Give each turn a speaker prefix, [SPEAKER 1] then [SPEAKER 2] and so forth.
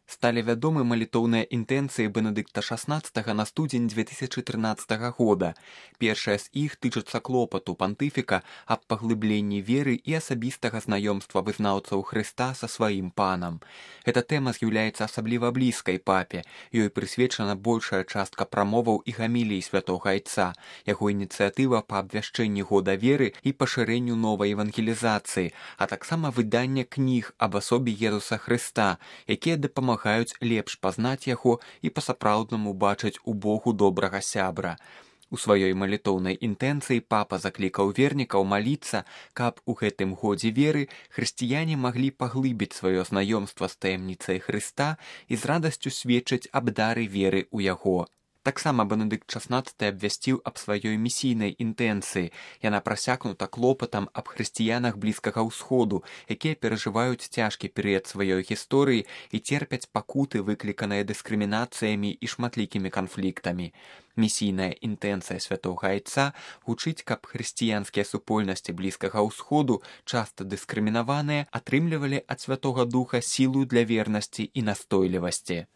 [SPEAKER 1] Сталі вядомы малітоўныя інтэнцыі Бенедыкта XVI на студзень 2013 года. Першая з іх тычыцца клопату пантыфіка аб паглыбленні веры і асабістага знаёмства вызнаўцаў Хрыста са сваім панам. Эта тэма з'яўляецца асабліва блізкай папе. Ёй прысвечана большая частка прамоваў і гамілій святога Айца, яго ініцыятыва па абвяшчэнні года веры і пашырэнню новай евангелізацыі, а таксама выданне кніг аб асобе Езуса Хрыста, якія дапамагаюць лепш пазнаць яго і па-сапраўднаму бачыць у Богу добрага сябра. У сваёй малітоўнай інтэнцыі папа заклікаў вернікаў маліцца, каб у гэтым годзе веры хрысціяне маглі паглыбіць сваё знаёмства з таямніцай Хрыста і з радасцю сведчыць аб дары веры ў яго. Таксама Бенедыкт XVI абвясціў аб сваёй місійнай інтэнцыі. Яна прасякнута клопатам аб хрысціянах Блізкага ўсходу, якія перажываюць цяжкі перыяд сваёй гісторыі і церпяць пакуты, выкліканыя дыскрымінацыямі і шматлікімі канфліктамі. Місійная інтэнцыя святога Айца гучыць, каб хрысціянскія супольнасці Блізкага ўсходу, часта дыскрымінаваныя, атрымлівалі ад Святога Духа сілу для вернасці і настойлівасці.